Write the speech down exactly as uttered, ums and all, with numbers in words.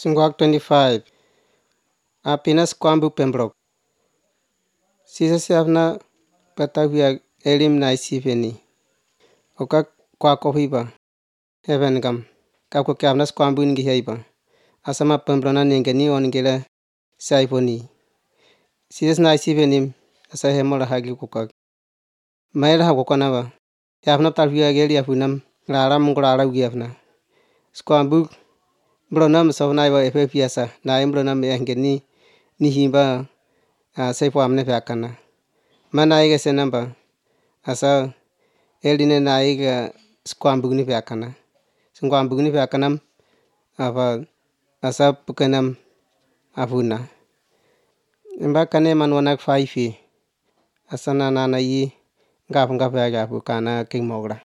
Sungguh twenty-five. Happiness kwambu pembrok. Sisa siafna patavia elim na isiveni. Oka kwa kohiba. Heaven gam. Kako kiavnas kwambu ngi heiba. Asama pembrona ningeni ongela saivoni. Sisa na isiveni asa hemola hagi kukak. Maila hakokanaba. Kiavna talvia geli afunam. Lara mungurala ugiafna. Skwambu Blonam saunaiwa efe piasa na imblonam engeni nihimba uh, seipo amne fakana mana iga senamba asa eline na iga skwambugni fakana skwambugni fakanam apa asa pukanam afuna mbakane manwanak faifi asana nana yi ngap ngap ya kana king mogra